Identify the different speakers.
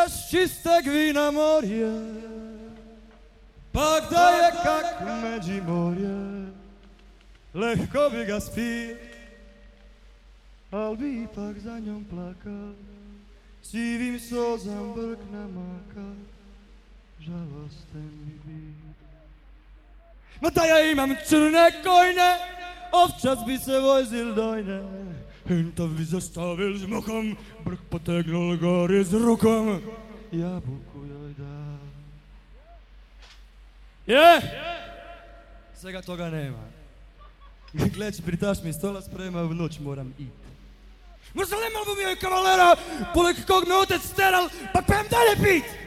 Speaker 1: z čisteg vina morje, pak da je kak Međimorje, lehko bi ga spil, al bi ipak za njom plakal, sivim sozam brk namakal, žalosten bi bil. Ma da ja imam crne kojne, ovčac bi se vozil dojne, hintav bi zastavil z muchom, brk potegnul gori s rukom, jabuku joj dal. Je! Svega toga nema. Gleči, pritaš mi stola sprema, v noć moram it. Možda nemal bi mi joj kavalera, poleg kog me otec steral, pa pojem dalje pit!